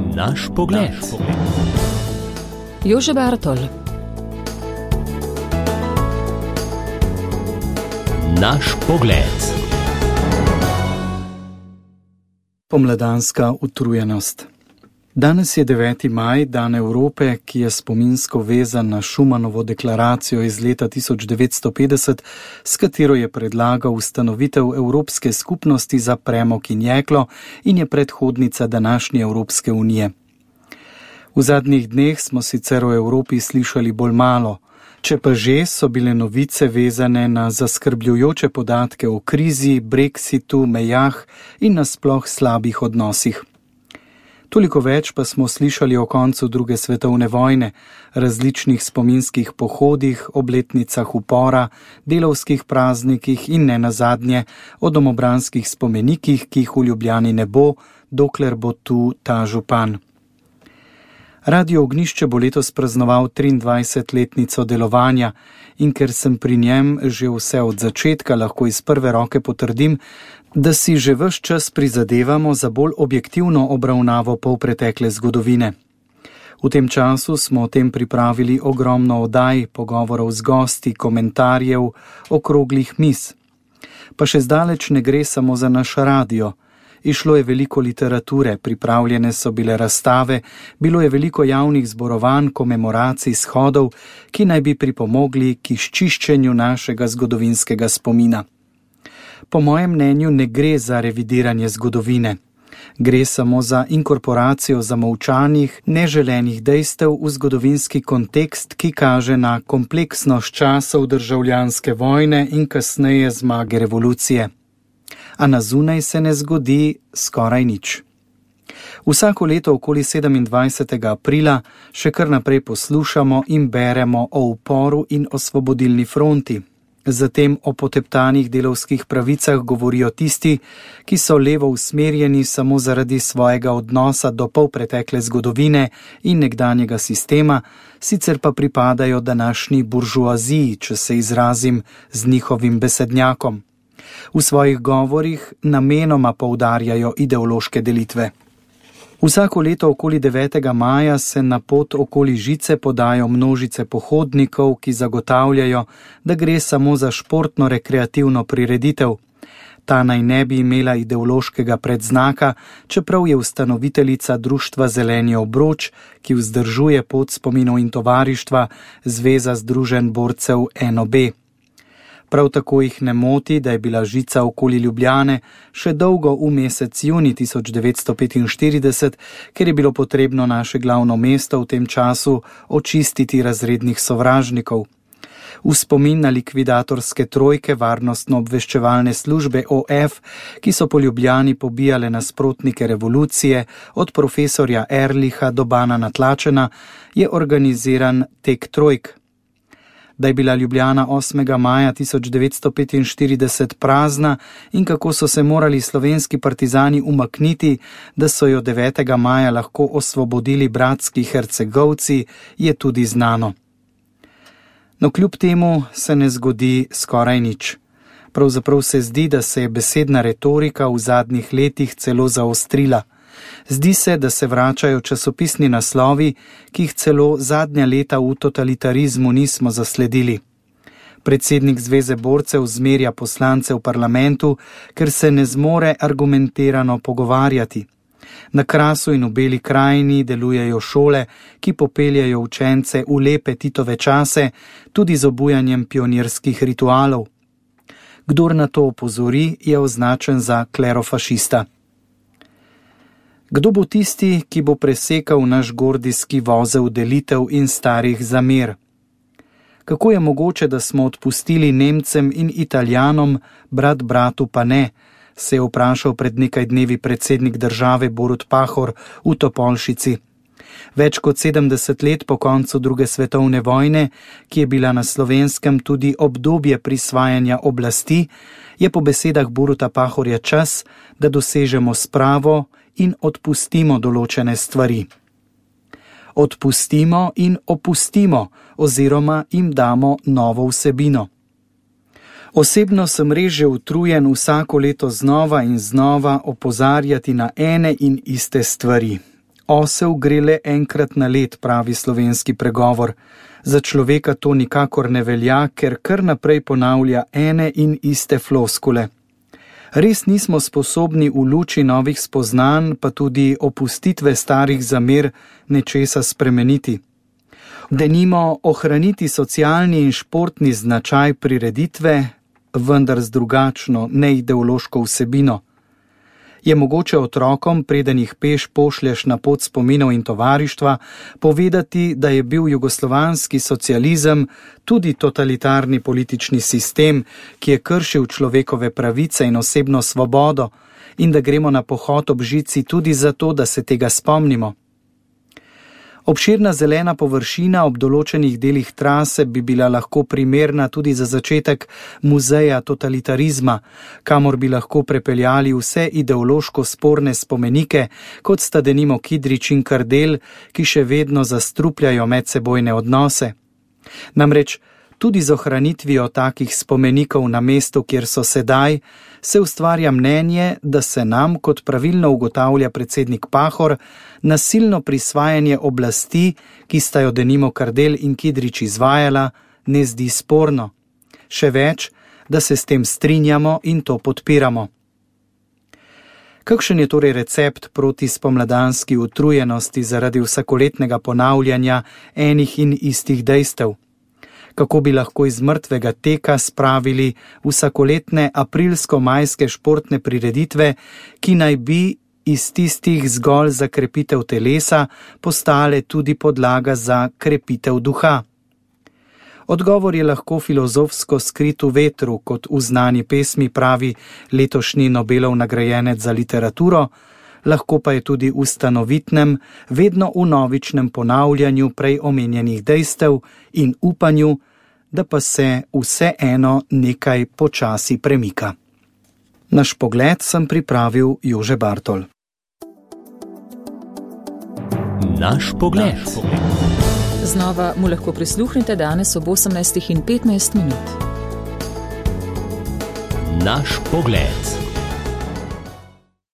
Naš pogled. Jože Bartol. Naš pogled. Pomladanska utrujenost. Danes je 9. maj, dan Evrope, ki je spominsko vezan na Schumanovo deklaracijo iz leta 1950, s katero je predlagal ustanovitev Evropske skupnosti za premog in jeklo in je predhodnica današnje Evropske unije. V zadnjih dneh smo sicer o Evropi slišali bolj malo, če pa že so bile novice vezane na zaskrbljujoče podatke o krizi, Brexitu, mejah in nasploh slabih odnosih. Toliko več pa smo slišali o koncu druge svetovne vojne, različnih spominskih pohodih, obletnicah upora, delavskih praznikih in nenazadnje o domobranskih spomenikih, ki jih v Ljubljani ne bo, dokler bo tu ta župan. Radio Ognjišče bo letos praznoval 23-letnico delovanja in ker sem pri njem že vse od začetka, lahko iz prve roke potrdim, da si že ves čas prizadevamo za bolj objektivno obravnavo polpretekle zgodovine. V tem času smo o tem pripravili ogromno oddaj, pogovorov z gosti, komentarjev, okroglih miz. Pa še zdaleč ne gre samo za naš radio. Išlo je veliko literature, pripravljene so bile razstave, bilo je veliko javnih zborovanj, komemoracij, shodov, ki naj bi pripomogli k izčiščenju našega zgodovinskega spomina. Po mojem mnenju ne gre za revidiranje zgodovine. Gre samo za inkorporacijo zamolčanih, neželenih dejstev v zgodovinski kontekst, ki kaže na kompleksnost časov državljanske vojne in kasneje zmage revolucije. A na zunaj se ne zgodi skoraj nič. Vsako leto okoli 27. aprila še kar naprej poslušamo in beremo o uporu in osvobodilni fronti. Zatem o poteptanih delavskih pravicah govorijo tisti, ki so levo usmerjeni samo zaradi svojega odnosa do polpretekle zgodovine in nekdanjega sistema, sicer pa pripadajo današnji buržoaziji, če se izrazim z njihovim besednjakom. V svojih govorih namenoma poudarjajo ideološke delitve. Vsako leto okoli 9. maja se na pot okoli žice podajo množice pohodnikov, ki zagotavljajo, da gre samo za športno-rekreativno prireditev. Ta naj ne bi imela ideološkega predznaka, čeprav je ustanoviteljica društva Zeleni obroč, ki vzdržuje pot spominov in tovarištva, Zveza združenj borcev NOB. Prav tako jih ne moti, da je bila žica okoli Ljubljane še dolgo v mesec juni 1945, ker je bilo potrebno naše glavno mesto v tem času očistiti razrednih sovražnikov. V spomin na likvidatorske trojke varnostno-obveščevalne službe OF, ki so po Ljubljani pobijale nasprotnike revolucije, od profesorja Erliha do Bana Natlačena, je organiziran tek trojk. Da je bila Ljubljana 8. maja 1945 prazna in kako so se morali slovenski partizani umakniti, da so jo 9. maja lahko osvobodili bratski Hercegovci, je tudi znano. No, kljub temu se ne zgodi skoraj nič. Pravzaprav se zdi, da se je besedna retorika v zadnjih letih celo zaostrila. Zdi se, da se vračajo časopisni naslovi, ki jih celo zadnja leta v totalitarizmu nismo zasledili. Predsednik Zveze borcev zmerja poslance v parlamentu, ker se ne zmore argumentirano pogovarjati. Na Krasu in v Beli krajini delujejo šole, ki popeljajo učence v lepe Titove čase, tudi z obujanjem pionirskih ritualov. Kdor na to opozori, je označen za klerofašista. Kdo bo tisti, ki bo presekal naš gordijski vozel delitev in starih zamer? Kako je mogoče, da smo odpustili Nemcem in Italijanom, brat bratu pa ne, se je vprašal pred nekaj dnevi predsednik države Borut Pahor v Topolšici. Več kot 70 let po koncu druge svetovne vojne, ki je bila na Slovenskem tudi obdobje prisvajanja oblasti, je po besedah Boruta Pahorja čas, da dosežemo spravo in odpustimo določene stvari. Odpustimo in opustimo oziroma jim damo novo vsebino. Osebno sem res že utrujen vsako leto znova in znova opozarjati na ene in iste stvari. Osel gre le enkrat na let, pravi slovenski pregovor. Za človeka to nikakor ne velja, ker kar naprej ponavlja ene in iste floskule. Res nismo sposobni v luči novih spoznanj, pa tudi opustitve starih zamer, nečesa spremeniti. Denimo ohraniti socialni in športni značaj prireditve, vendar z drugačno, neideološko vsebino. Je mogoče otrokom, preden jih peš pošlješ na pot spominov in tovarištva, povedati, da je bil jugoslovanski socializem tudi totalitarni politični sistem, ki je kršil človekove pravice in osebno svobodo, in da gremo na pohod ob žici tudi zato, da se tega spomnimo. Obširna zelena površina ob določenih delih trase bi bila lahko primerna tudi za začetek muzeja totalitarizma, kamor bi lahko prepeljali vse ideološko sporne spomenike, kot sta denimo Kidrič in Kardelj, ki še vedno zastrupljajo medsebojne odnose. Namreč tudi z ohranitvijo takih spomenikov na mestu, kjer so sedaj, se ustvarja mnenje, da se nam, kot pravilno ugotavlja predsednik Pahor, nasilno prisvajanje oblasti, ki sta jo denimo Kardelj in Kidrič izvajala, ne zdi sporno. Še več, da se s tem strinjamo in to podpiramo. Kakšen je torej recept proti spomladanski utrujenosti zaradi vsakoletnega ponavljanja enih in istih dejstev? Kako bi lahko iz mrtvega teka spravili vsakoletne aprilsko-majske športne prireditve, ki naj bi iz tistih zgolj za krepitev telesa postale tudi podlaga za krepitev duha? Odgovor je lahko filozofsko skrit v vetru, kot v znani pesmi pravi letošnji Nobelov nagrajenec za literaturo, lahko pa je tudi v stanovitnem, vedno vnovičnem ponavljanju prej omenjenih dejstev in upanju, da pa se vseeno nekaj počasi premika. Naš pogled sem pripravil Jože Bartol. Naš pogled. Znova mu lahko prisluhnete danes ob 18:15. Naš pogled.